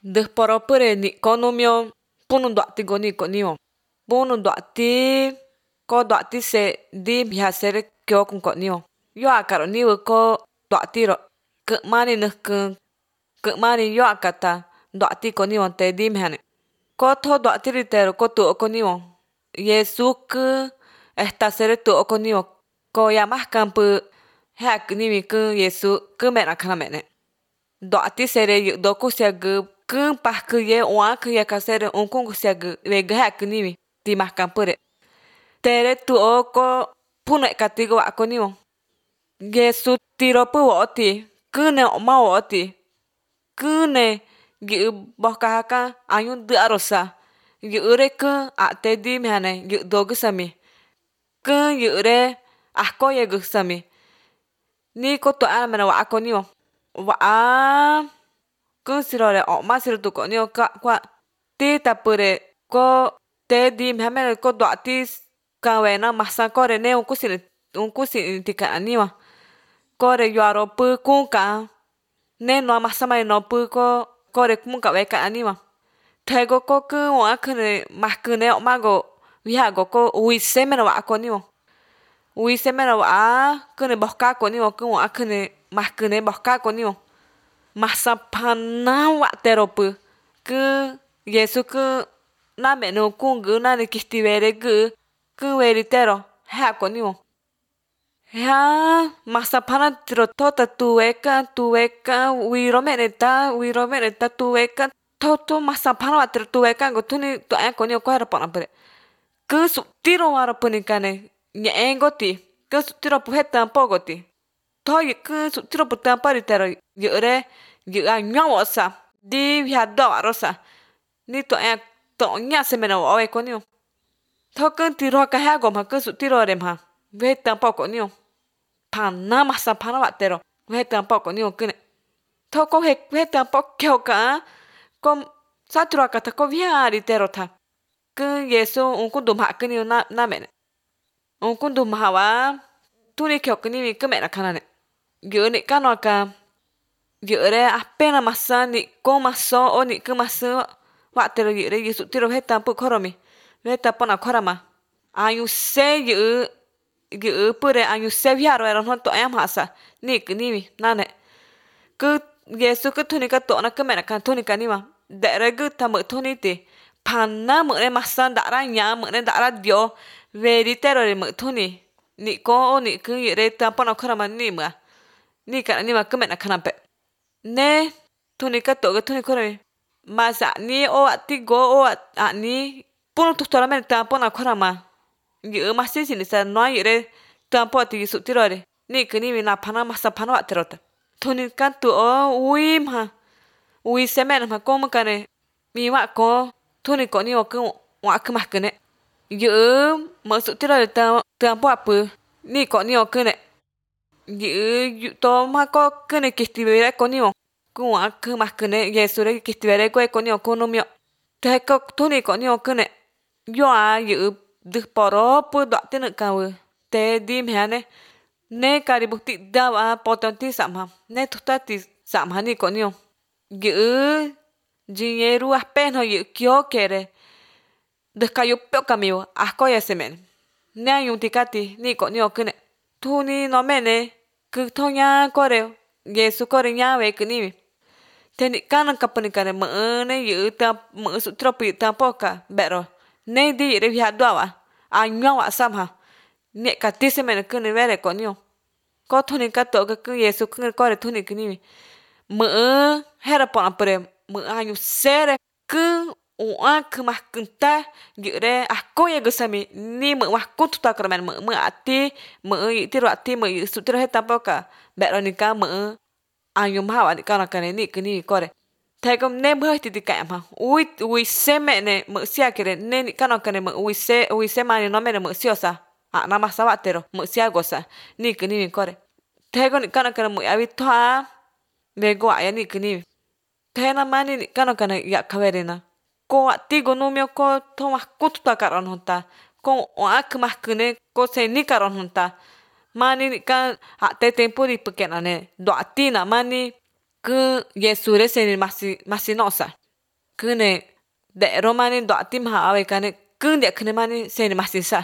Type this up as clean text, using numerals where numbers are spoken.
Ndëjporopyre ni'konumio punu'ndua'ti goniko'nimo, punu'ndua'ti ko dua'ti se di mjasere kyo kunko'nimo yoakaro niwi ko dua'tiro kë'mani nëjkë kë'mani yoakata dua'ti konimo te di mjane ko tjo dua'ti ritero ko tu'o konimo Yesu kë estasere tu'o konimo ko yamajkampy je'akɨ kë Yesu kë me'nakanamene dua'ti sere yɨ'dokusiakɨ kë pajkɨye u'akɨye kasere unkunkusiakɨ vegɨ je'akɨ niwi timajkampɨre tere tu'o ko punu'ekati wa'a konimo Yesu tiropɨ wo'oti këne o'ma wo'oti këne yɨ'ɨ bojkajaka añu ndɨ'arosa yɨ'ɨre kë a'te di mjane yɨ'dokɨsami kë yɨ'ɨre ajkoyekɨsami ni kotu'a mena wa'a konimo wa'a kë sirore o'ma siro tukonio ka kua ti tapɨre ko te di mjamene ko dua'ti kawena masakore ne unkusi unkusi tika'aniwa kore yuaropɨ kuka ne noa masamai nopɨ ko kore kunka veka aniwa tego ko kɨ u'akɨne majkɨne o'mago viago ko uise mena wa'a konimo uise mena wa'a kɨne bojka konimo kɨ u'akɨne majkɨne bojka konimo masapana wa'teropɨ kɨ Yesu kɨ namenu kunkɨ nani kistivere kɨ kɨ veritero je'a konimo ja masapana tiro tota tuweka tuweka wiromeneta wiromeneta tuweka toto masapana wa'tero tuweka ngotuni tu'e konio kuera ponapere kɨ su'tiro waropɨnikane ñe'ẽngoti kɨ su'tiro pujeta pogoti toyi kɨ su'tiro putamparitero yɨ'ɨre yɨ'ɨ añuawosa di viado'arosa ni tu'e to'ña semena wo'o konio tjokɨ tiroka jeagoma kɨ su'tiro rema ve tampoco nio pana masapana wa'tero ve tampoco nio kɨne tjoko je ve tampoco kioka ko satiroakata ko viaritero ta kɨ Yesu unkundu ma'kɨ na namene unkundu majawa tuni kiokɨ nivi kɨ me'na kanane yɨ'ɨ ni'kanoaka yɨ'ɨre apena masa ni'ko maso o ni'kɨ masɨ wa'tero yɨ'ɨre yɨ su'tiro jetampɨ kjoromi veta pona kjorama añu se yɨ'ɨ yɨ'ɨ pɨre añu se viaroero no to'e ma'sa nikɨ nivi nane kɨ Yesu kɨ tuni kato'ona kɨ me'na kan tuni kanima nde'ere kɨ ta mɨ'ɨ tuniti pana mɨ'ɨre masa nda'ara ña'a mɨ'ɨre nda'ara dyo'o veritero mɨ'ɨ tuni ni'ko o ni'kɨ yɨ'ɨre tampona kjorama nimɨ'a nika'anima kɨ me'na kanape ne tuni kato'o tuni kjoromi masa a'ni o a'ti go o a'ni punu tutoramene tampona kjorama yɨ'ɨ masisi nisa noa yɨ'ɨre tampo ti su'tirore nikɨ nivi napana masapana wa'terota tuni katu'o ui ma ui semene ma komo kane mi wa'ko tuni ko'nio kɨ u'akɨ majkɨne yɨ'ɨ mɨ'ɨ su'tirore ta tampo apɨ ni ko'nio kɨne yɨ'ɨ toma ko kɨne kistivere konio kɨ u'akɨ majkɨne Yesure kistivere kue konio kunumio teko tuni ko'nio kɨne yo'a yɨ'ɨ ndɨjporopɨ dua'ti nɨ'kawɨ te di mjane ne kaributi dava potonti sa'ma ne tujtati sa'ma ni ko'nio yɨ'ɨ yiñeru apeno yɨ'ɨ kio kere ndɨjkayu piokamio ajkoya semene ne añuntikati ni ko'nio kɨne tuni nomene kɨ toña kore Yesu kore ñave kɨnivi te ni'kanu kapɨnikane mɨ'ɨ ne yɨ'ɨ ta mɨ'ɨ su'tiropɨ tampoka ve'ro ne di yɨ'ɨre viadua'a añua'a sama ñe'kati semene kɨne vere ko'nio ko tuni kato'o kɨ Yesu kɨ kore tuni kɨnivi mɨ'ɨ jera po'napɨre mɨ'ɨ añu sere kɨ u'akɨ majkɨta yɨ'ɨre ajkoya kɨsami ni mɨ'ɨ majkututakɨ mɨ'ɨ mɨ'ɨ a'ti mɨ'ɨ yɨ'ɨ a'ti mɨ'ɨ yɨ'ɨ su'tiro je tampoka ve'ro nika mɨ'ɨ añu majawa ni'kana ni kɨnivi kore teko ne mɨjɨti tika'ma ui ui seme'ne mɨ'ɨ siakere ne ni'kanokane mɨ'ɨ ui se ui semani nomene mɨ'ɨ siosa a'na masa wa'tero mɨ'ɨ siagosa ni kɨnivi kore teko ni'kanokane mɨ'ɨ yavi to'a vego a'ya ni kɨnivi tena mani ni'kanokane ya'kaverena ko a'ti gonumio ko toma kututaka'ronota ko u'akɨ majkɨne ko senika'ronota mani ni'ka a'te tiempo ri pɨke'nane ndua'tina mani kɨ Yesure seni masi masi no'osa. Kune de romani do atim ha ave kane kunde kune mani se ni masinsa.